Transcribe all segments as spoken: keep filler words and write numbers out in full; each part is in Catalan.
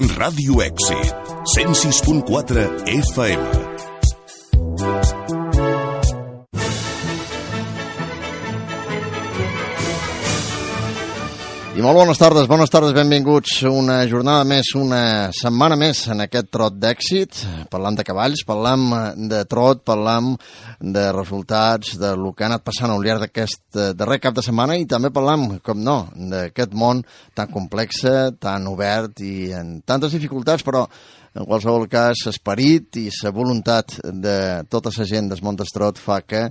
Ràdio Èxit, cent sis punt quatre F M. I molt bones tardes, bones tardes, benvinguts una jornada més, una setmana més en aquest trot d'èxit. Parlam de cavalls, parlam de trot, parlam de resultats, de lo que ha anat passant al llarg d'aquest darrer cap de setmana i també parlam, com no, d'aquest món tan complex, tan obert i amb tantes dificultats, però en qualsevol cas, esperit i la voluntat de tota la gent del món del trot fa que,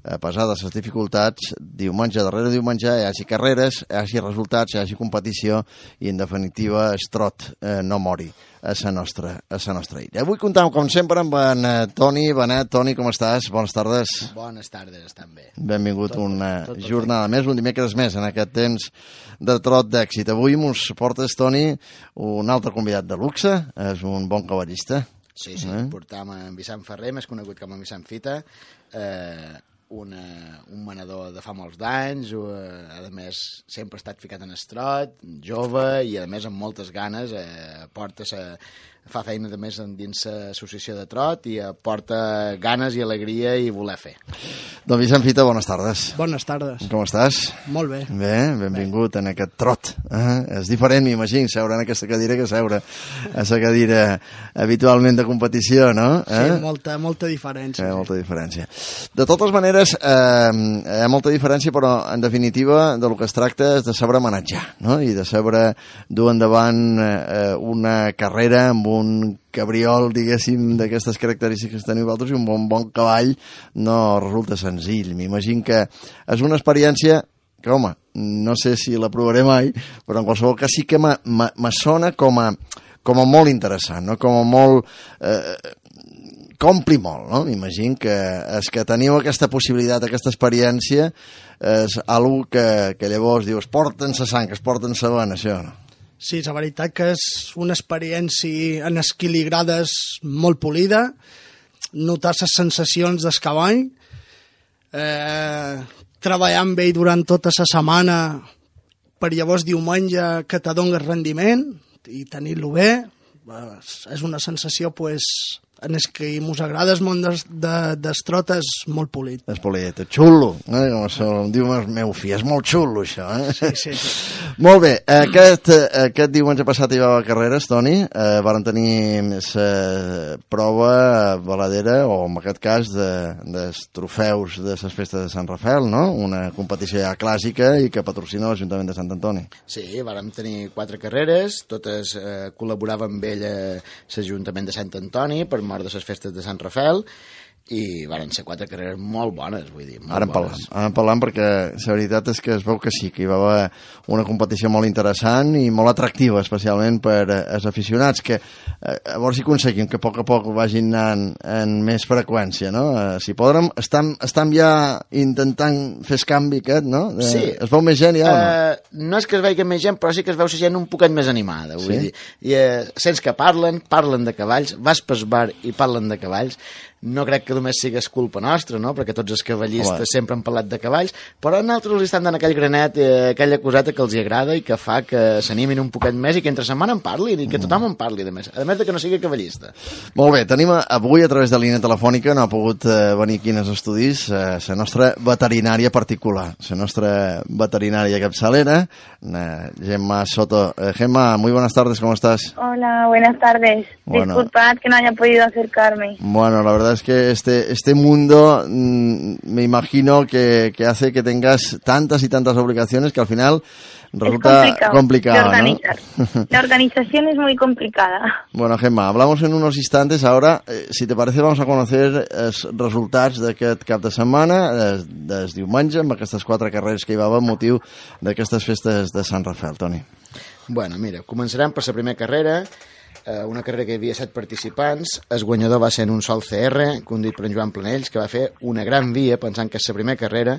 a pesar de les dificultats, diumenge darrere diumenge hi hagi carreres, hi hagi resultats, hi hagi competició i, en definitiva, el trot eh, no mori a la nostra, a la nostra illa. Avui comptam, com sempre, amb en Toni. Benet, Toni, com estàs? Bones tardes. Bones tardes, estan bé. Benvingut tot, una tot, tot, jornada tot. més, un dimecres més en aquest temps de trot d'èxit. Avui mos portes, Toni, un altre convidat de luxe, és un bon cavallista. Sí, sí, eh? Portam en Vicent Ferrer, més conegut com en Vicent Fita, eh, Una, un manador de fa molts d'anys, eh, a més sempre ha estat ficat en estrot, jove i a més amb moltes ganes, eh, porta sa, fa feina de més dins l'associació de trot i porta ganes i alegria i voler fer. Don Vicent Fita, bones tardes. Bones tardes. Com estàs? Molt bé. Bé, benvingut bé. En aquest trot. Eh? És diferent, m'imagino, seure en aquesta cadira que seure a la cadira habitualment de competició, no? Eh? Sí, molta, molta diferència. Eh, molta diferència. De totes maneres, eh, hi ha molta diferència, però en definitiva del que es tracta és de saber manejar, no? I de saber dur endavant eh, una carrera amb un cabriol, diguéssim, d'aquestes característiques que teniu vosaltres, i un bon, bon cavall no resulta senzill. M'imagino que és una experiència que, home, no sé si la provaré mai, però en qualsevol cas sí que me sona com a, com a molt interessant, no? Com a molt... Eh, compli molt, no? M'imagino que és que teniu aquesta possibilitat, aquesta experiència, és algo que, que llavors dius, porten sa sang, es porten sa vena, això, no? Sí, la veritat que és una experiència en esquiligrades molt polida, notar les sensacions del cavall, eh, treballar amb ell durant tota la setmana per llavors diumenge que te doni rendiment i tenir-lo bé, és una sensació, pues, en el que mos agrada el món des, de, des trot és molt polit. És polit, és xulo, eh? Com això, em diu el meu fill, és molt xulo això, eh? Sí, sí, sí. Molt bé, aquest, aquest diumenge passat hi va a carreres, Toni, eh, varen tenir la prova valedera, o en aquest cas de, dels trofeus de les festes de Sant Rafael, no? Una competició ja clàssica i que patrocina l'Ajuntament de Sant Antoni. Sí, vàrem tenir quatre carreres, totes eh, col·laboraven amb ell l'Ajuntament de Sant Antoni per mort de les festes de Sant Rafael, i varen ser quatre carreres molt bones, vull dir, molt ara en parlam, bones. Ara en parlam perquè la veritat és que es veu que sí, que hi va haver una competició molt interessant i molt atractiva, especialment per als aficionats, que eh, a veure si aconseguim que a poc a poc vagin anant en més freqüència, no? Eh, si podrem, estem, estem ja intentant fer el canvi aquest, no? Eh, sí. Es veu més gent ja o no? Uh, no és que es vegi més gent, però sí que es veu la gent un poquet més animada, vull sí? dir. I uh, sents que parlen, parlen de cavalls, vas pel bar i parlen de cavalls. No crec que només sigués culpa nostra, no? Perquè tots els cavallistes Home. sempre han parlat de cavalls, però a nosaltres els estan dant aquell granet, eh, aquella coseta que els hi agrada i que fa que s'animin un poquet més i que entre setmana en parlin i que tothom en parli, a més, a més de que no sigui cavallista. Molt bé, tenim avui a través de línia telefònica, no ha pogut eh, venir aquí als estudis, eh, la nostra veterinària particular, la nostra veterinària capçalera, eh, Gemma Soto. Eh, Gemma, muy buenas tardes, ¿cómo estás? Hola, buenas tardes. Bueno. Disculpad que no haya podido acercarme. Bueno, la verdad es que este, este mundo mmm, me imagino que, que hace que tengas tantas y tantas obligaciones que al final resulta es complicado, complicado, de organizar. ¿no? La organización es muy complicada. Bueno, Gemma, hablamos en unos instantes. Ahora, eh, si te parece, vamos a conocer els resultats d'aquest cap de setmana, des, des diumenge, amb aquestes quatre carreres que hi va haver motiu d'aquestes festes de Sant Rafael, Toni. Bueno, mira, començarem per la primera carrera, una carrera que hi havia set participants. El guanyador va ser en un sol C R, conduït per en Joan Planells, que va fer una gran via, pensant que és la primera carrera,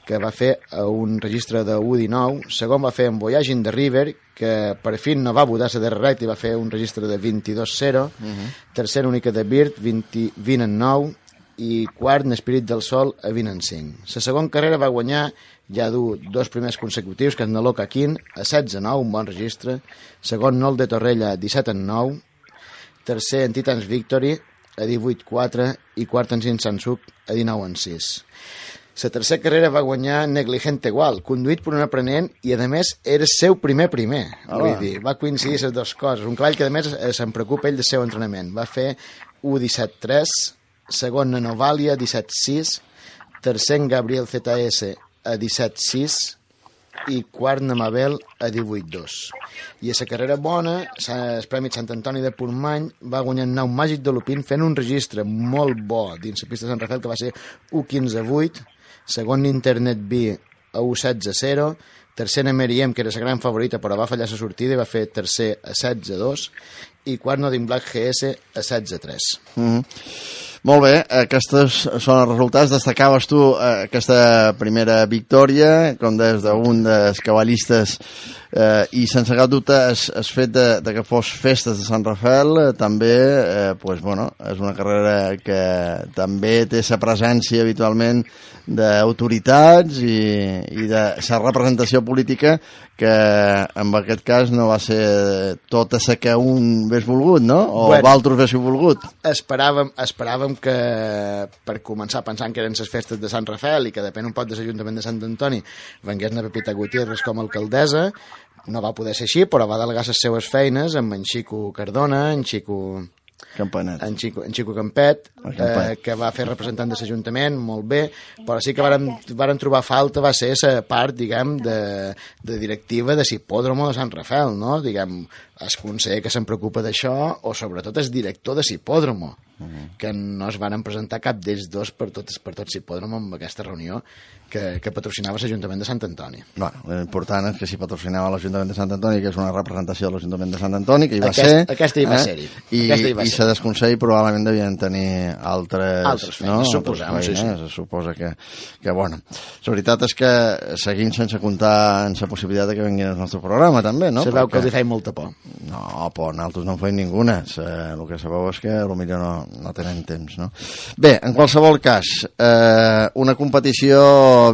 que va fer un registre de u dinou. Segon va fer en Voyage in the River, que per fi no va votar la darrera recta i va fer un registre de vint-i-dos zero. Uh-huh. Tercera única de Bird, vint, vint en nou. i quart en Espírit del Sol a vint en cinc. La segona carrera va guanyar ja du dos primers consecutius, que és Naló Caquín, a setze nou, un bon registre. Segon, Nol de Torrella, a disset en nou. Tercer, en Titans Victory, a divuit quatre. I quart, en Sansuc, a dinou en sis. La tercera carrera va guanyar Negligente Gual, conduït per un aprenent i, a més, era el seu primer primer. Ah, Vull dir, va coincidir les dues coses. Un cavall que, a més, se'n preocupa ell del seu entrenament. Va fer u disset tres, segon, Nanovalia, disset sis, tercer, Gabriel Z S, a disset sis, i quart, Namabel, a divuit dos. I a la carrera bona, el Premi Sant Antoni de Portmany va guanyar el nou Màgic de Lupín fent un registre molt bo dins la pista de Sant Rafael, que va ser u quinze vuit, segon Internet B a u setze zero, tercer Meriem, que era la gran favorita però va fallar la sortida i va fer tercer a setze dos, i quart Nodin Black G S a setze tres. Mm-hmm. Molt bé, aquests són els resultats. Destacaves tu eh, aquesta primera victòria, com des d'un dels cavallistes, eh, i sense cap dubte es, es fet de, de que fos festes de Sant Rafael, eh, també eh, pues, bueno, és una carrera que també té la presència habitualment d'autoritats i, i de la representació política, que en aquest cas no va ser tota la que un hagués volgut, no? O bueno, d'altres haguéssiu volgut. Esperàvem, esperàvem que, per començar pensant que eren les festes de Sant Rafael i que depèn un poc de l'Ajuntament de Sant Antoni, vengués na Pepita Gutiérrez com a alcaldessa. No va poder ser així, però va delegar les seues feines amb en Xico Cardona, en Xico... Campanet. En Xico, en Xico Campet, eh, que va fer representant de l'Ajuntament, molt bé, però sí que vàrem, vàrem trobar falta, va ser la part, diguem, de, de directiva de l'hipòdromo de Sant Rafael, no? Diguem, el conseller que se'n preocupa d'això, o sobretot el director de l'hipòdromo, uh-huh. que no es varen presentar cap d'ells dos per tot, per tot l'hipòdromo en aquesta reunió que, que patrocinava l'Ajuntament de Sant Antoni. Bueno, l'important és que s'hi patrocinava l'Ajuntament de Sant Antoni, que és una representació de l'Ajuntament de Sant Antoni, que hi va Aquest, ser. Aquesta hi va eh? ser-hi. I, i se desconsell probablement devien tenir altres... Altres feines, no? suposem, altres feines, sí, sí. Se suposa que, que, bueno... La veritat és que seguim sense comptar en la possibilitat de que vinguin al nostre programa, també, no? Se veu que els hi feien molta por. No, por, nosaltres no en feim ninguna. El que sabeu és que potser no, no tenen temps, no? Bé, en qualsevol cas, eh, una competició,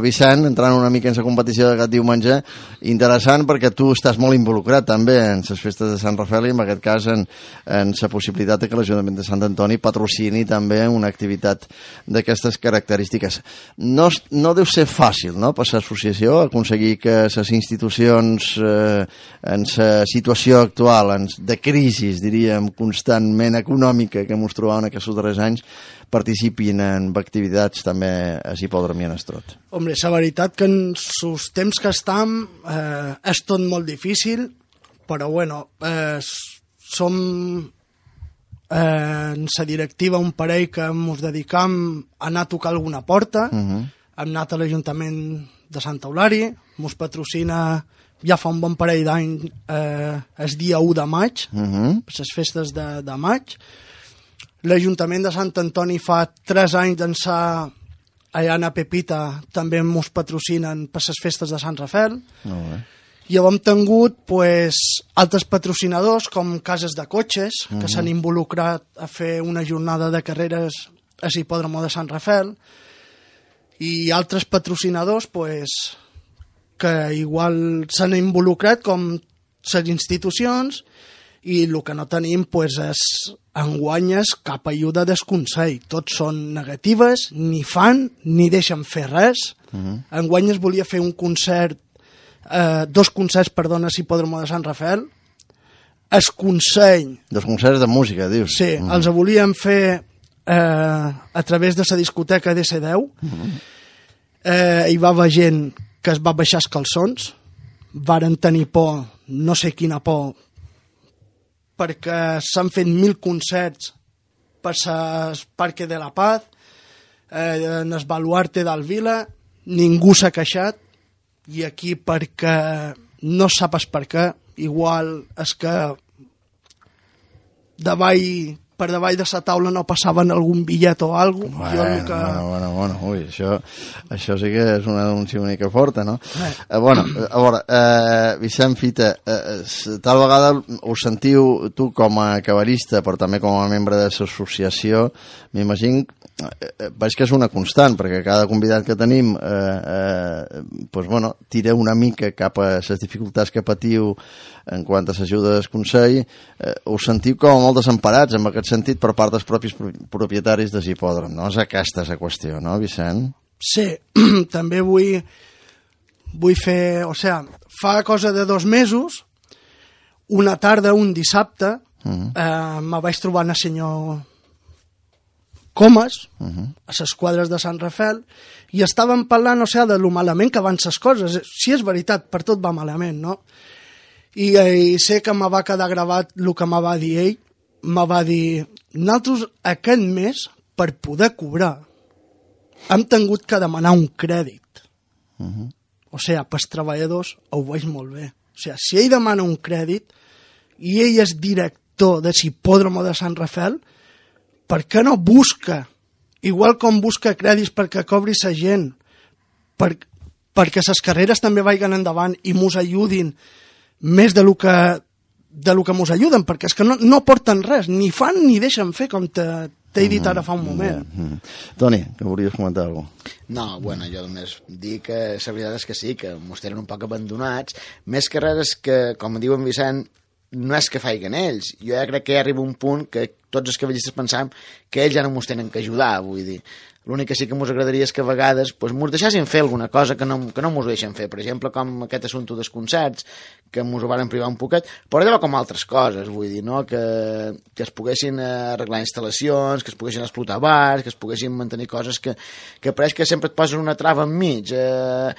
Vicent, entrant una mica en la competició d'aquest diumenge, interessant perquè tu estàs molt involucrat també en les festes de Sant Rafael i en aquest cas en, en la possibilitat de que l'Ajuntament de Sant Antoni patrocini també una activitat d'aquestes característiques. No, no deu ser fàcil, no?, per l'associació aconseguir que les institucions eh, en la situació actual de crisi, diríem, constantment econòmica que ens trobàvem aquests darrers anys, participin en activitats també a l'hipòdrom i en Estrot. Hombre, la veritat que en els temps que estem eh, és tot molt difícil, però bueno, eh, som eh, en la directiva un parell que ens dedicam a anar a tocar alguna porta. Uh-huh. Hem anat a l'Ajuntament de Sant Eulari, ens patrocina ja fa un bon parell d'any eh, el dia u de maig, uh-huh. per les festes de, de maig. L'Ajuntament de Sant Antoni fa tres anys d'ençà allà a Pepita també ens patrocinen per les festes de Sant Rafael. Molt bé. I hem tingut pues, altres patrocinadors com cases de cotxes uh-huh. que s'han involucrat a fer una jornada de carreres a l'hipòdromo de Sant Rafael i altres patrocinadors pues, que igual s'han involucrat com les institucions i el que no tenim pues, és enguanyes cap ajuda del Consell. Tots són negatives, ni fan ni deixen fer res. Uh-huh. Enguanyes volia fer un concert, eh, dos concerts, perdona, a l'hipòdromo de Sant Rafael. El Consell... Dos concerts de música, dius? Sí, uh-huh. els volíem fer eh, a través de la discoteca D C deu. Uh-huh. Eh, hi va haver gent que es va baixar els calçons, varen tenir por, no sé quina por, perquè s'han fet mil concerts per al Parque de la Paz, eh, en el Baluarte del Vila, ningú s'ha queixat, i aquí perquè no sapes per què, igual és que davall, per davall de la taula no passaven algun bitllet o alguna cosa. Bueno, que... bueno, bueno, bueno, ui, això, això sí que és una denúncia una mica forta, no? Eh. Eh, bueno, a veure, eh, Vicent Fita, eh, tal vegada us sentiu, tu com a cavallista, però també com a membre de l'associació, m'imagino eh, veig que és una constant, perquè cada convidat que tenim eh, eh, pues, bueno, tira una mica cap a les dificultats que patiu en quant a l'ajuda del Consell. Eh, us sentiu com molt desemparats en aquest sentit per part dels propis propietaris de l'hipòdrom, no? És aquesta la qüestió, no, Vicent? Sí, també vull, vull fer... O sigui, fa cosa de dos mesos, una tarda, un dissabte, uh-huh. eh, me vaig trobar en el senyor Comas, uh-huh. a les quadres de Sant Rafel, i estàvem parlant, o sigui, de lo malament que van les coses. Si és veritat, per tot va malament, no? I, i sé que me va quedar gravat el que me va dir ell. Me va dir, nosaltres aquest mes, per poder cobrar, hem tingut que demanar un crèdit. Uh-huh. O sigui, pels treballadors ho veig molt bé. O sigui, si ell demana un crèdit i ell és director de l'hipòdromo de Sant Rafel, per què no busca, igual com busca crèdits perquè cobri la gent, per, perquè les carreres també vagin endavant i mos ajudin més de lo que, de lo que mos ajuden, perquè és que no, no porten res, ni fan ni deixen fer, com te, t'he dit ara fa un moment. Mm-hmm. Toni, que volies comentar alguna cosa? No, bueno, jo només dic que la veritat és que sí, que mos tenen un poc abandonats, més que res és que, com diu en Vicent, no és que faiguen ells. Jo ja crec que ja arriba un punt que tots els cavallistes pensam que ells ja no mos tenen que ajudar, vull dir. L'únic que sí que mos agradaria és que a vegades pues, mos deixessin fer alguna cosa que no, que no mos deixen fer. Per exemple, com aquest assumpte dels concerts, que mos ho varen privar un poquet, però allò com altres coses, vull dir, no? Que, que es poguessin arreglar instal·lacions, que es poguessin explotar bars, que es poguessin mantenir coses que, que pareix que sempre et posen una trava enmig. Eh,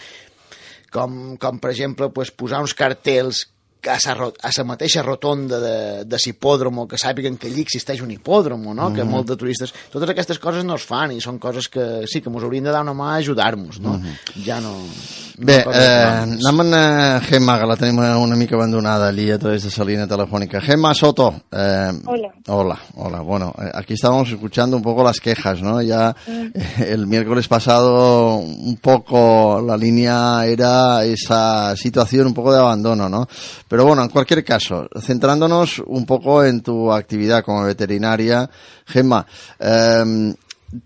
com, com, per exemple, pues, posar uns cartells a la mateixa rotonda de, de l'hipòdromo, que sàpiguen que allí existeix un hipòdromo, no? Mm-hmm. Que molts de turistes... Totes aquestes coses no es fan i són coses que sí, que ens haurien de dar una mà a ajudar-nos, no? Mm-hmm. Ja no... no Bé, eh, anem amb uh, Gemma, que la tenim una mica abandonada allí a través de esa línea telefónica. Gemma Soto. Eh, hola. Hola, hola. Bueno, eh, aquí estábamos escuchando un poco las quejas, ¿no? Ya mm. eh, el miércoles pasado un poco la línea era esa situación un poco de abandono, ¿no? Pero bueno, en cualquier caso, centrándonos un poco en tu actividad como veterinaria, Gemma, eh,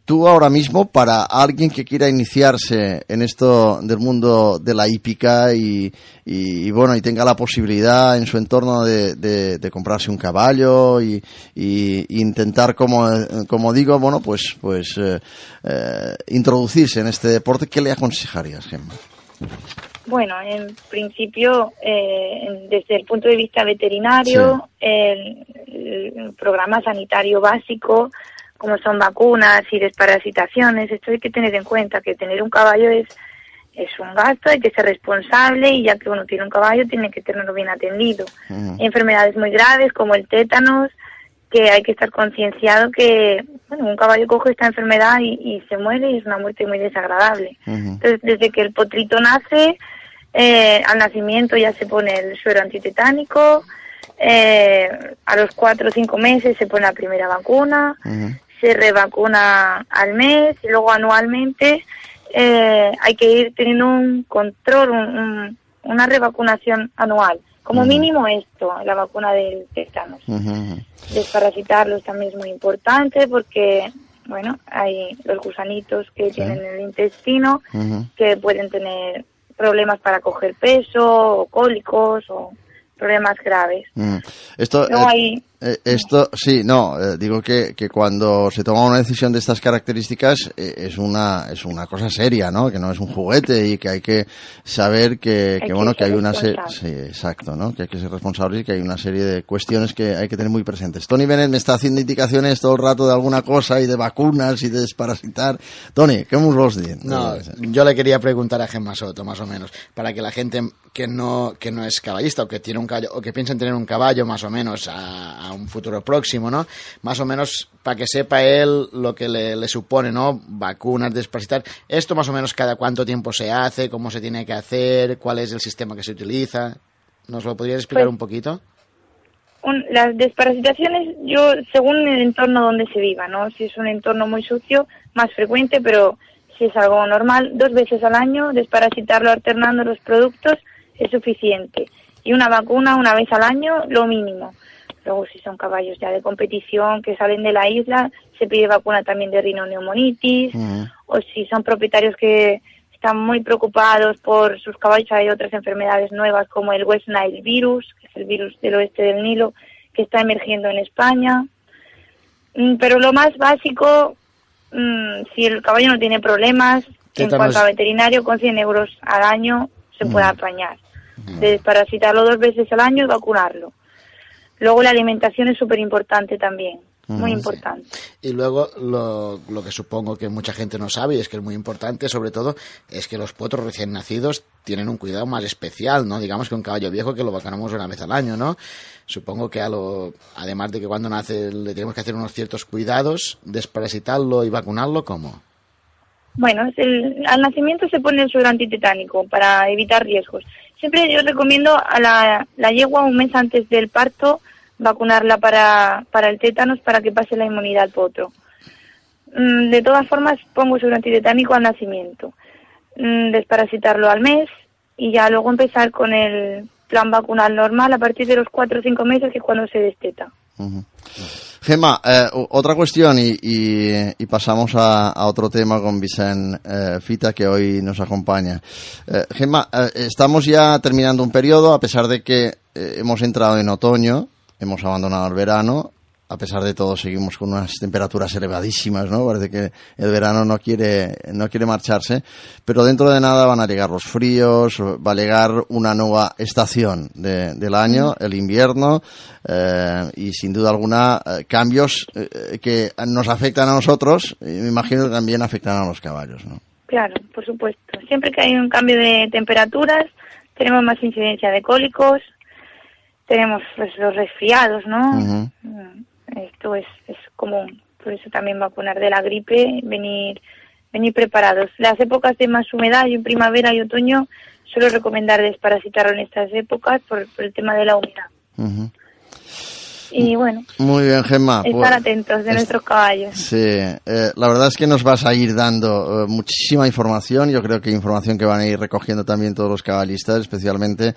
tú ahora mismo, para alguien que quiera iniciarse en esto del mundo de la hípica y, y, y bueno, y tenga la posibilidad en su entorno de, de, de comprarse un caballo y, y, y intentar, como, como digo, bueno, pues, pues eh, eh, introducirse en este deporte, ¿qué le aconsejarías, Gemma? Bueno, en principio, eh, desde el punto de vista veterinario, sí. el, el programa sanitario básico, como son vacunas y desparasitaciones, esto hay que tener en cuenta, que tener un caballo es, es un gasto, hay que ser responsable y ya que uno tiene un caballo tiene que tenerlo bien atendido. Uh-huh. Hay enfermedades muy graves como el tétanos, que hay que estar concienciado que bueno, un caballo coge esta enfermedad y, y se muere y es una muerte muy desagradable. Uh-huh. Entonces, desde que el potrito nace, eh, al nacimiento ya se pone el suero antitetánico, eh, a los cuatro o cinco meses se pone la primera vacuna, uh-huh. se revacuna al mes y luego anualmente eh, hay que ir teniendo un control, un, un, una revacunación anual. Como uh-huh. mínimo esto, la vacuna del tétanos. Uh-huh. Desparasitarlos también es muy importante porque, bueno, hay los gusanitos que sí. tienen en el intestino uh-huh. que pueden tener problemas para coger peso o cólicos o problemas graves. Mm. Esto, no eh, hay... eh, esto, sí, no, eh, digo que, que cuando se toma una decisión de estas características eh, es una es una cosa seria, ¿no? Que no es un juguete y que hay que saber que, que, que bueno, que hay una serie... Sí, exacto, ¿no? Que hay que ser responsable y que hay una serie de cuestiones que hay que tener muy presentes. Tony Bennett me está haciendo indicaciones todo el rato de alguna cosa y de vacunas y de desparasitar. Tony, ¿qué nos los dices? No, yo le quería preguntar a Gemma Soto, más o menos, para que la gente que no, que no es caballista o que tiene un caballo, o que piensa en tener un caballo más o menos a, a un futuro próximo, ¿no? Más o menos para que sepa él lo que le, le supone, ¿no? Vacunas, desparasitar. Esto más o menos cada cuánto tiempo se hace, cómo se tiene que hacer, cuál es el sistema que se utiliza. ¿Nos lo podrías explicar pues, un poquito? Un, las desparasitaciones, yo, según el entorno donde se viva, ¿no? Si es un entorno muy sucio, más frecuente, pero si es algo normal, dos veces al año, desparasitarlo alternando los productos es suficiente. Y una vacuna una vez al año, lo mínimo. Luego, si son caballos ya de competición que salen de la isla, se pide vacuna también de rinoneumonitis. Uh-huh. O si son propietarios que están muy preocupados por sus caballos, hay otras enfermedades nuevas como el West Nile virus, que es el virus del oeste del Nilo, que está emergiendo en España. Pero lo más básico, si el caballo no tiene problemas, en cuanto a veterinario, con cien euros al año se puede uh-huh. apañar. Uh-huh. De desparasitarlo dos veces al año y vacunarlo. Luego la alimentación es súper importante también, muy importante. Sí. Y luego lo, lo que supongo que mucha gente no sabe y es que es muy importante, sobre todo, es que los potros recién nacidos tienen un cuidado más especial, ¿no? Digamos que un caballo viejo que lo vacunamos una vez al año, ¿no? Supongo que a lo, además de que cuando nace le tenemos que hacer unos ciertos cuidados, desparasitarlo y vacunarlo, ¿cómo? Bueno, es el, al nacimiento se pone el suero antitetánico para evitar riesgos. Siempre yo recomiendo a la, la yegua un mes antes del parto vacunarla para, para el tétanos para que pase la inmunidad al potro. Mm, de todas formas pongo suero antitetánico al nacimiento, mm, desparasitarlo al mes y ya luego empezar con el plan vacunal normal a partir de los cuatro o cinco meses, que es cuando se desteta. Uh-huh. Gemma, eh, otra cuestión y, y, y pasamos a, a otro tema con Vicent eh, Fita, que hoy nos acompaña. Eh, Gemma, eh, estamos ya terminando un periodo, a pesar de que eh, hemos entrado en otoño, hemos abandonado el verano. A pesar de todo seguimos con unas temperaturas elevadísimas, ¿no? Parece que el verano no quiere, no quiere marcharse, pero dentro de nada van a llegar los fríos, va a llegar una nueva estación de, del año, el invierno, eh, y sin duda alguna eh, cambios eh, que nos afectan a nosotros y me imagino que también afectan a los caballos, ¿no? Claro, por supuesto. Siempre que hay un cambio de temperaturas tenemos más incidencia de cólicos, tenemos pues, los resfriados, ¿no? Uh-huh. Esto es, es común, por eso también vacunar de la gripe, venir venir preparados. Las épocas de más humedad, y en primavera y otoño, suelo recomendar desparasitarlo en estas épocas por, por el tema de la humedad. Uh-huh. Y bueno, muy bien, Gemma, estar pues, atentos de es, nuestros caballos. Sí, eh, la verdad es que nos vas a ir dando eh, muchísima información. Yo creo que información que van a ir recogiendo también todos los caballistas, especialmente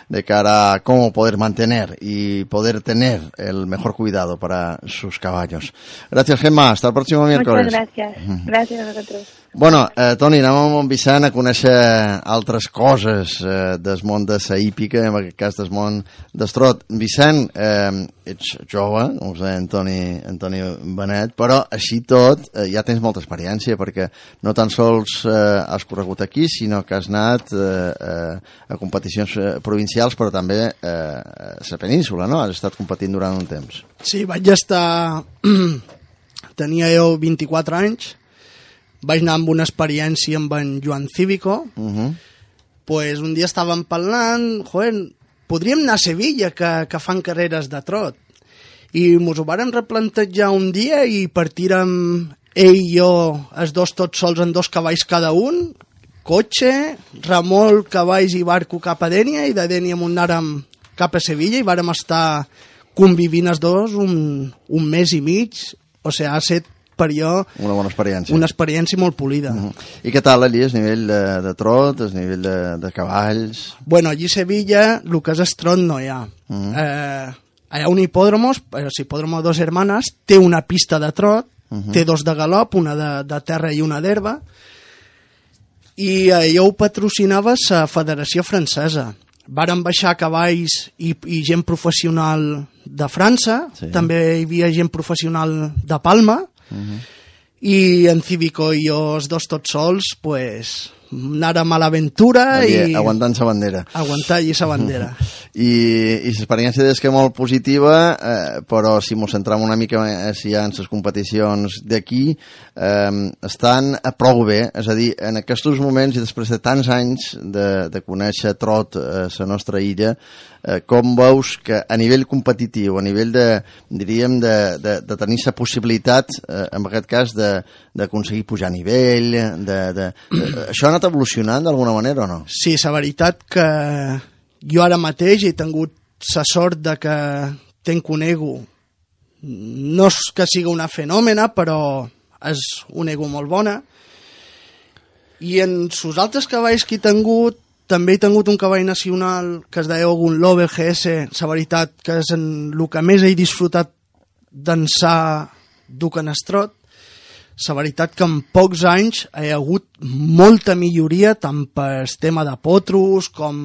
de cara a cómo poder mantener y poder tener el mejor cuidado para sus caballos. Gracias, Gemma. Hasta el próximo miércoles. Muchas gracias. Gracias a vosotros. Bueno, eh, Toni, anem amb en Vicent a conèixer altres coses eh, del món de la hípica, en aquest cas del món d'estrot. Vicent, eh, ets jove, com us deia en Toni, en Toni Benet, però així tot eh, ja tens molta experiència, perquè no tan sols eh, has corregut aquí, sinó que has anat eh, eh, a competicions eh, provincials, però també eh, a la península, no? Has estat competint durant un temps. Sí, vaig estar... Tenia jo vint-i-quatre anys, vaig anar amb una experiència amb en Joan Cívico. Uh-huh. Pues un dia estàvem parlant, joder, podríem anar a Sevilla, que, que fan carreres de trot. I mos ho vàrem replantejar un dia i partirem ell i jo, els dos tots sols en dos cavalls cada un, cotxe, remolc, cavalls i barco cap a Dènia, i de Dènia anàrem cap a Sevilla i vàrem estar convivint els dos un, un mes i mig. O sigui, ha estat per jo una bona experiència. Una experiència molt polida. Uh-huh. I què tal allí, el nivell de, de trot, el nivell de, de cavalls? Bueno, allí a Sevilla el que és el trot no hi ha. Uh-huh. Eh, hi ha un hipòdromo, el hipòdromo Dos Hermanes, té una pista de trot, uh-huh. té dos de galop, una de, de terra i una d'herba, i allò ho patrocinava la Federació Francesa. Varen baixar cavalls i, i gent professional de França, sí. També hi havia gent professional de Palma, uh-huh. I en Cívico i jo, els dos tots sols, pues, anàrem a l'aventura i... Aguantant sa bandera. Aguantar allí sa bandera. I, i l'experiència és que molt positiva, eh, però si ens centram una mica més ja en les competicions d'aquí, eh, estan prou bé, és a dir, en aquests moments i després de tants anys de, de conèixer trot a la nostra illa, eh, com veus que a nivell competitiu, a nivell de, diríem, de, de, de tenir la possibilitat, eh, en aquest cas, d'aconseguir pujar a nivell, de, de, de, això ha anat evolucionant d'alguna manera o no? Sí, la veritat que jo ara mateix he tingut la sort de que tenc un ego, no és que sigui una fenòmena, però és un ego molt bona, i en els altres cavalls que he tingut també he tingut un cavall nacional que es deia Ogun Lover G S, la veritat que és en el que més he disfrutat d'ençà d'Ucanestrot. La veritat que en pocs anys hi ha hagut molta milloria tant per tema de potros com,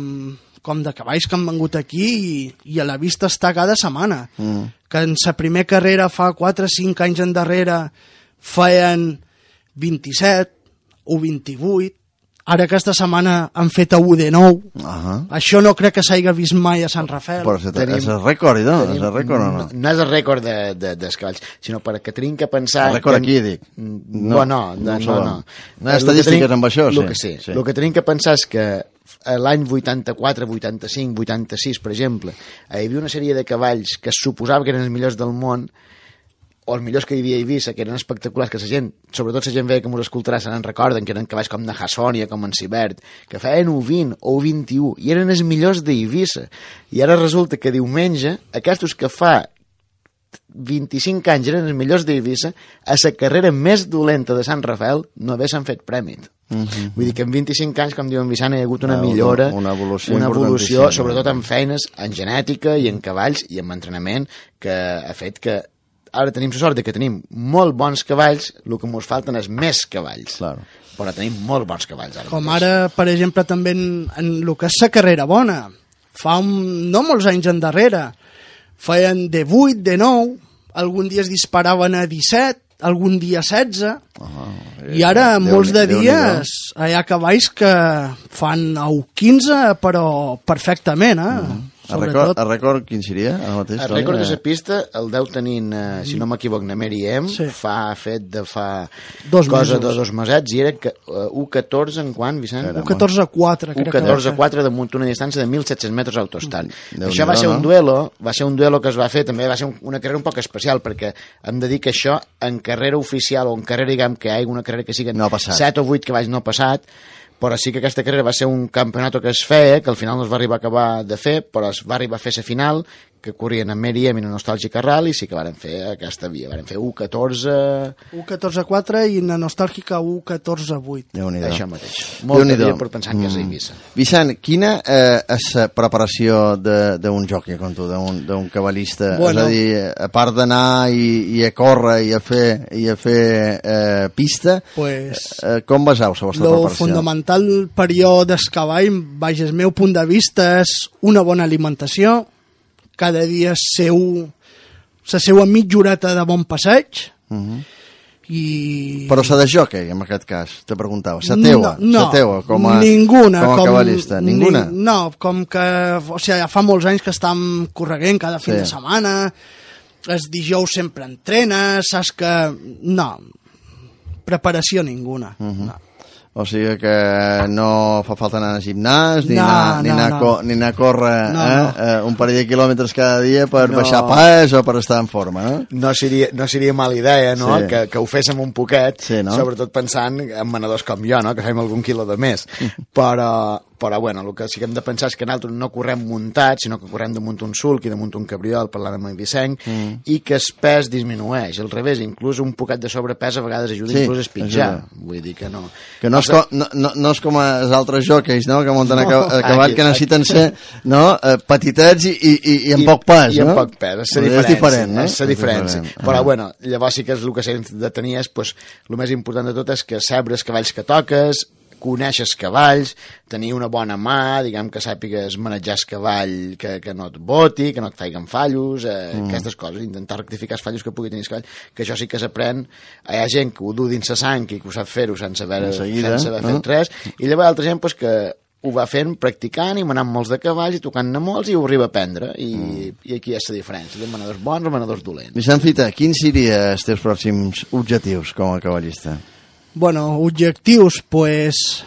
com de cavalls que han vengut aquí i, i a la vista està cada setmana. Mm. Que en la primera carrera fa quatre o cinc anys endarrere feien vint-i-set o vint-i-vuit, ara aquesta setmana han fet a u de nou. Uh-huh. Això no crec que s'hagi vist mai a Sant Rafael. Però és, tenim, és el rècord, no? Tenim, és el rècord o no? No és el rècord de, de, dels cavalls, sinó perquè tenim que pensar... El rècord que... aquí, dic. No, no, no. No, no, no. no hi ha estadístiques tenim, amb això, sí. El que, sí. Sí. El que tenim que pensar és que l'any vuitanta-quatre, vuitanta-cinc, vuitanta-sis, per exemple, hi havia una sèrie de cavalls que es suposava que eren els millors del món, o els millors que hi havia a Eivissa, que eren espectaculars, que la gent, sobretot la gent veia que m'ho escoltarà, se n'en recorden, que eren cavalls com de Hassònia, com en Cibert, que feien u vint o u vint-i-u, i eren els millors d'Eivissa. I ara resulta que diumenge, aquests que fa vint-i-cinc anys eren els millors d'Eivissa, a la carrera més dolenta de Sant Rafael no haguessin fet prèmit. Uh-huh. Vull dir que en vint-i-cinc anys, com diu en Vicent, hi ha hagut una millora, una, una evolució, una evolució sobretot en feines, en genètica i en cavalls i en entrenament, que ha fet que ara tenim la sort de que tenim molt bons cavalls, el que ens falten és més cavalls. Claro. Però tenim molt bons cavalls. Ara Com mateix. Ara, per exemple, també en, en el que és la carrera bona. Fa un, no molts anys endarrere. Feien de vuit, de nou, algun dia es disparaven a disset, algun dia setze, uh-huh. I ara Déu molts de dies hi ha cavalls que fan a u quinze, però perfectament, eh? Uh-huh. El rècord, el rècord quin seria? El, mateix, el rècord de la pista el deu tenint, eh, si no m'equivoc, na Mary M, sí. fa fet de fa dos cosa mesos. de dos mesets, i era que, uh, u catorze en quant, Vicent? u catorze quatre, crec u catorze quatre damunt una distància de mil set-cents metres autostant. Déu Això va ser un duelo, va ser un duelo que es va fer, també va ser una carrera un poc especial, perquè hem de dir que això en carrera oficial o en carrera, diguem, que hi ha una carrera que siguen no set o vuit cavalls no ha passat, però sí que aquesta carrera va ser un campionat que es feia, que al final no es va arribar a acabar de fer, però es va arribar a fer la final, que corrien en Mary M i en Nostàlgica Rally, i sí que varen fer aquesta via, varen fer u catorze... u catorze quatre i en Nostàlgica u catorze vuit. Déu-n'hi-do. Això mateix. Molt de dia per pensar que és a Eivissa. Mm. Vicent, quina eh, és la preparació d'un jockey, com tu, d'un cavallista? Bueno. És a dir, a part d'anar i, i a córrer i a fer, i a fer eh, pista, pues, eh, com baseu la vostra lo preparació? Fundamental per jo del cavall, baix el meu punt de vista, és una bona alimentació, cada dia seu, la seva mitja horeta de bon passeig, uh-huh. I... Però la de jockey, en aquest cas, te preguntava, la teua, no, no, la teua, com a, ninguna, com a com, cavallista, ninguna? Ni, no, com que, o sigui, ja fa molts anys que estem correguent cada fin sí. de setmana, els dijous sempre entrenes, saps que... No, preparació ninguna, uh-huh. no. O sigui que no fa falta anar al gimnàs, ni, no, anar, ni, no, anar, no. Co ni anar a córrer no, eh? no. Eh, un parell de quilòmetres cada dia per no. baixar pas o per estar en forma, no? No seria, no seria mala idea, no?, sí. que, que ho féssim un poquet, sí, no? Sobretot pensant en manadors com jo, no?, que fem algun quilo de més. Però, però bueno, el que sí que hem de pensar és que nosaltres no correm muntats, sinó que correm damunt un sulc i damunt un cabriol, parlant amb el Vicent, mm. i que el pes disminueix. Al revés, inclús un poquet de sobrepès a vegades ajuda sí, inclús a espitjar. Ajuda. Vull dir que no... Que no és, com, no, no, no és com els altres jockeys, no?, que munten no, a cavall, que necessiten ser no? petitets i, i, i, i amb I, poc pes, i no? amb poc pes, és la diferència. És diferent, no? És la diferència. Ah. Però, bueno, llavors sí que és el que s'ha de tenir és, pues, el més important de tot és que saber els cavalls que toques, coneixes cavalls, tenir una bona mà, diguem que sàpigues manejar el cavall, que, que no et boti, que no et faiguen fallos, eh, mm. aquestes coses, intentar rectificar els fallos que pugui tenir el cavall, que això sí que s'aprèn. Hi ha gent que ho du dins la sang i que ho sap fer-ho sense haver, seguida, sense haver no? fet res, i llavors altra gent pues, que ho va fent, practicant i manant molts de cavalls i tocant-ne molts i ho arriba a aprendre, i, mm. i aquí és la diferència, de manadors bons o manadors dolents. Vicent Fita, quins serien els teus pròxims objectius com a cavallista? Bueno, objectius, pues,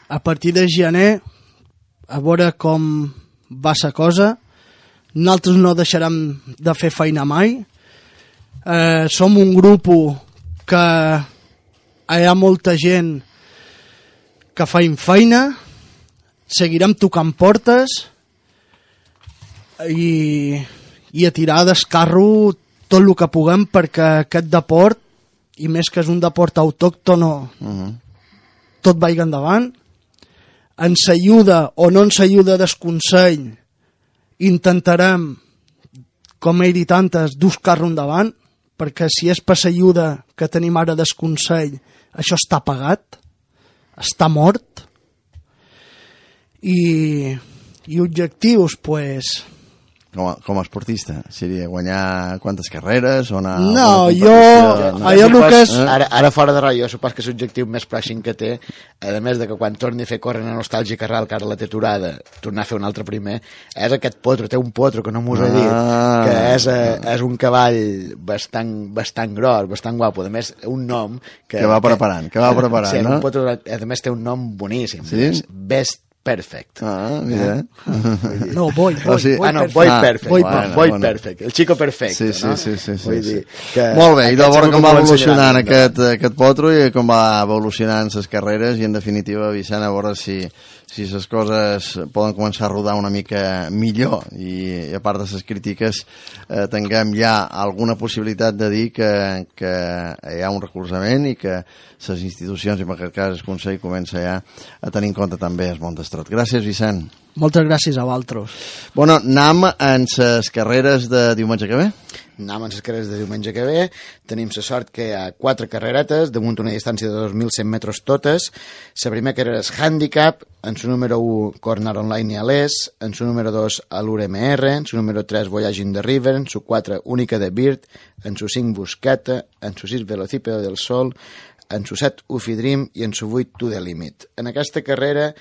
a partir de gener, a veure com va la cosa. Nosaltres no deixarem de fer feina mai. Eh, som un grup que hi ha molta gent que feim feina, seguirem tocant portes i, i a tirar del carro tot el que puguem perquè aquest deport, i més que és un deport autòctono, uh-huh. tot vagi endavant. ens ajuda o no ens ajuda del Consell, intentarem, com he dit antes, buscar-lo endavant, perquè si és per l'ajuda que tenim ara del Consell, això està pagat, està mort, i, i objectius, pues... Com a, com a esportista, seria guanyar quantes carreres o anar... No, jo... No, allò el que és... Ara, ara fora de raó, jo supos que l'objectiu més pròxim que té, a més de que quan torni a fer córrer a Nostàlgica Real, que ara la té aturada, tornar a fer un altre primer, és aquest potro, té un potro que no m'ho he dit, Ah. que és, eh, és un cavall bastant, bastant gros, bastant guapo, a més un nom... Que, Que va preparant, que va preparant, sí, no? un potro, a més té un nom boníssim, Sí? Best Perfect. Ah, mira. No, Boy, O Boy, sigui- Boy Ah, no, Perfect. Boy Ah, Perfect. Boy Boy, Perfect. Boy Bueno. Perfect. El chico perfecto, Sí, sí, no? sí, sí, sí, Vull sí. dir que Molt bé, i de aquest veure segur com que va m'ho ensenyarà evolucionant endavant. aquest, aquest potro i com va evolucionant les carreres i, en definitiva, Vicent, a veure si si les coses poden començar a rodar una mica millor i, i a part de les crítiques eh, tinguem ja alguna possibilitat de dir que, que hi ha un recolzament i que les institucions, i en aquest cas el Consell, comença ja a tenir en compte també el món d'estrot. Gràcies, Vicent. Moltes gràcies a vosaltres. Bueno, anem en les carreres de diumenge que ve? Anem en les carreres de diumenge que ve. Tenim la sort que hi ha quatre carreretes, damunt una distància de dos mil cent metres totes. La primera carrera és Handicap, en su número u Corner Online i Alès, en su número dos Allure M R, en su número tres Voyage in the River, en su quatre Única de Bird, en su cinc Buscata, en su sis Velocípedo del Sol, en su set Ufi Dream i en su vuit To the Limit. En aquesta carrera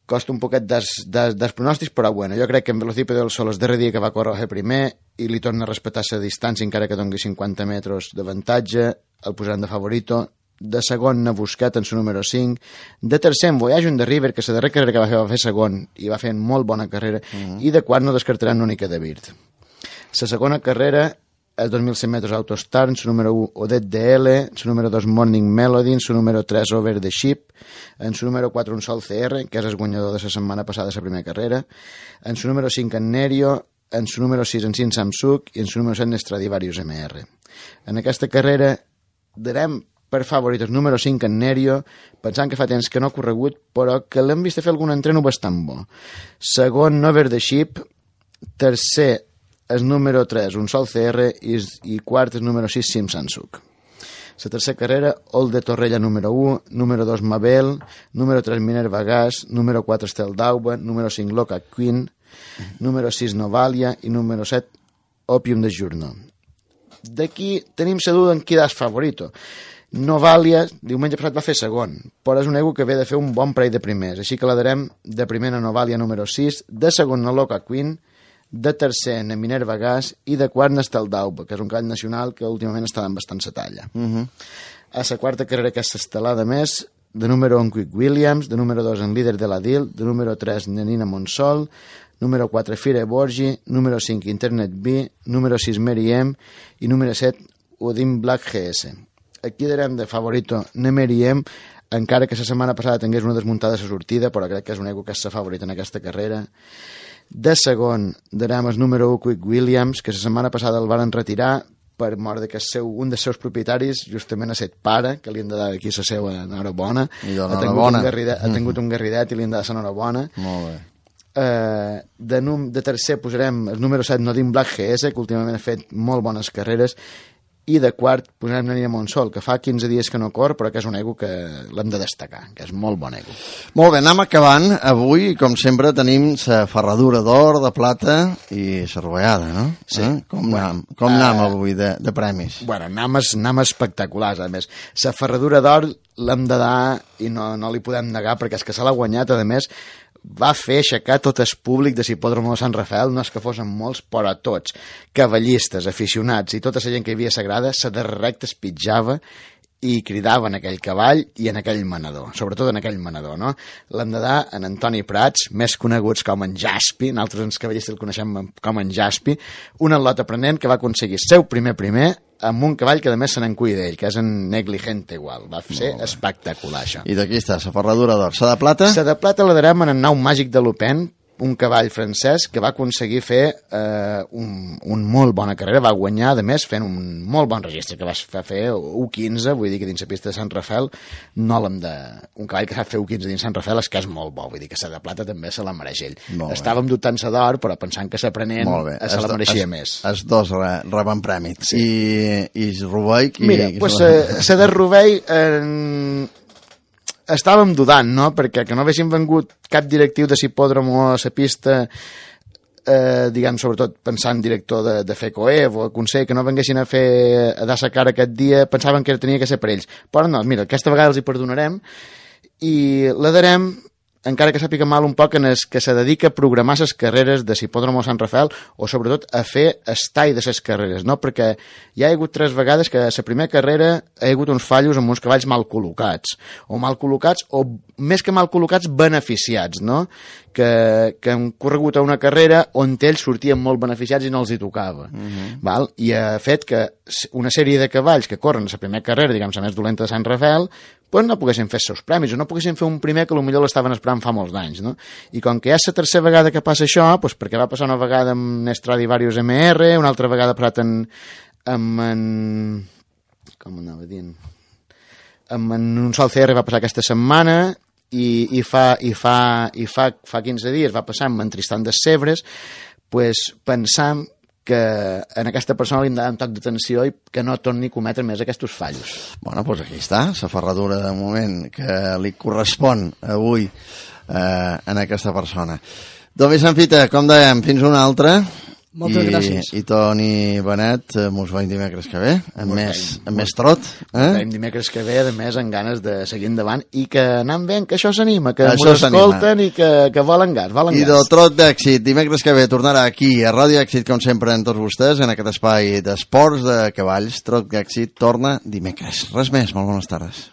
costa un poquet des, des, des pronòstics, però bueno, jo crec que en Velocípedo del Sol el darrer dia que va córrer el primer i li torna a respectar la distància encara que doni cinquanta metres d'avantatge, el posaran de favorito. De segon n'ha buscat en su número cinc, de tercer en Voyage in the River, que la darrera carrera que va fer va fer segon i va fer molt bona carrera, mm-hmm. i de quart no descartaran l'única de Bird. La segona carrera és dos mil cent metres Autostar, en su número u Odette D L, en su número dos Morning Melody, en su número tres Over the Ship, en su número quatre un Sol C R, que és el guanyador de la setmana passada de la primera carrera, en su número cinc en Nerio, en su número sis en Sin Samsung i en su número set en Stradivarius M R. En aquesta carrera darem per favorit el número cinc en Nerio, pensant que fa temps que no ha corregut, però que l'hem vist fer algun entreno bastant bo. Segon, Over the Ship, tercer, el número tres, un Sol C R, i, i quart, el número sis, Sim Samsung. La tercera carrera, All de Torrella número u, número dos Mabel, número tres Minerva Gas, número quatre Estel d'Auba, número cinc Loca Queen, número sis Novalia i número set Opium de Journal. D'aquí tenim la duda en qui és favorito. Novalia, diumenge passat va fer segon, però és un ego que ve de fer un bon parell de primers, així que la darem de primera Novalia número sis, de segon a Loca Queen, de tercer en Minerva Gas i de quart en Estel d'Auba, que és un cavall nacional que últimament està dant bastant sa talla. Uh-huh. A la quarta carrera que és l'estelada més, de número un Quick Williams, de número dos en Líder de la Dil, de número tres Nenina Monsol, número quatre Fire Borgi, número cinc Internet B, número sis Mary M i número set Odin Black G S. Aquí darem de favorito Mary M, encara que la setmana passada tingués una desmuntada a la sortida, però crec que és un ego que és la favorita en aquesta carrera. De segon darem el número un Quick Williams, que la setmana passada el van retirar per mort de que seu, un dels seus propietaris justament ha set pare, que li han de dar aquí la seva enhorabona. I ha tingut enhorabona. un garridet, ha tingut un garridet i li han de dar l'enhorabona. Molt bé. Uh, de, num, de tercer posarem el número set Nodin Black G S, que últimament ha fet molt bones carreres, i de quart posarem Nenina Monsol, que fa quinze dies que no cor, però que és un ego que l'hem de destacar, que és molt bon ego. Molt bé, anem acabant. Avui, com sempre, tenim la ferradura d'or, de plata i la rovellada, no? Sí. Eh? Com Bueno, anem, com anem uh, avui de, de premis? Bueno, names, names espectaculars, a més. La ferradura d'or l'hem de dar i no, no li podem negar, perquè és que se l'ha guanyat, a més, va fer aixecar tot el públic de Hipòdrom de Sant Rafael, no és que fossin molts, però tots, cavallistes, aficionats i tota la gent que hi havia sagrada, se de recte es pitjava i cridava en aquell cavall i en aquell manador, sobretot en aquell manador, no? L'hem de dar en Antoni Prats, més coneguts com en Jaspi, nosaltres els cavallistes el coneixem com en Jaspi, un atleta aprenent que va aconseguir seu primer primer amb un cavall que a més se n'en cuida d'ell, que és en Negligente igual. Va ser espectacular, això. I d'aquí està, la ferradura d'or. La de plata? La de plata la darem en el nou màgic de l'Open, un cavall francès que va aconseguir fer eh, un, un molt bona carrera, va guanyar, a més, fent un molt bon registre, que va fer u quinze, vull dir que dins la pista de Sant Rafel, no l'hem de... Un cavall que sap fer u quinze dins Sant Rafel és que és molt bo, vull dir que la de plata també se la mereix ell. Estàvem dubtant-se d'or, però pensant que s'aprenent se la mereixia es, més. Els dos re, reben premi. Sí. I, i Rovell... Qui, Mira, qui pues, la de Rovell... Eh, estàvem dudant, no?, perquè que no haguessin vengut cap directiu de l'hipòdromo a la pista, eh, diguem, sobretot pensant director de, de FECOEV o Consell, que no venguessin a fer a dar sa cara aquest dia, pensaven que tenia que ser per ells. Però no, mira, aquesta vegada els hi perdonarem i la darem, encara que sàpiga mal un poc, en el que se dedica a programar les carreres de l'hipòdromo Sant Rafel o sobretot a fer estall de les carreres, no? Perquè hi ha hagut tres vegades que a la primera carrera hi ha hagut uns fallos amb uns cavalls mal col·locats, o mal col·locats, o més que mal col·locats, beneficiats, no? Que, que han corregut a una carrera on ells sortien molt beneficiats i no els hi tocava. Uh-huh. Val? I ha fet que una sèrie de cavalls que corren a la primera carrera, diguem, la més dolenta de Sant Rafel, pues no poguessin fer els seus premis, o no poguessin fer un primer que potser l'estaven esperant fa molts d'anys, no? I com que ja és la tercera vegada que passa això, pues perquè va passar una vegada amb Stradivarius M R, una altra vegada passat en, amb en... com anava dient? Amb en un sol C R va passar aquesta setmana, i, i, fa, i, fa, i fa, fa quinze dies va passar amb en Tristan de Sebres, pues pensam que en aquesta persona li hem de dar un toc d'atenció i que no torni a cometre més aquests fallos. Bueno, doncs aquí està, la ferradura de moment que li correspon avui eh, en aquesta persona. Don Vicent Fita, com dèiem, fins una altra. Moltes I, gràcies. I Toni Benet, eh, mos veiem dimecres que ve, amb més, amb més trot. Eh? Veiem dimecres que ve, a més, amb ganes de seguir endavant i que anant bé, que això s'anima, que m'ho escolten i que, que volen gas, volen I gas. del trot d'èxit, dimecres que ve tornarà aquí a Ràdio Èxit, com sempre, amb tots vostès, en aquest espai d'esports de cavalls. Trot d'èxit torna dimecres. Res més, molt bones tardes.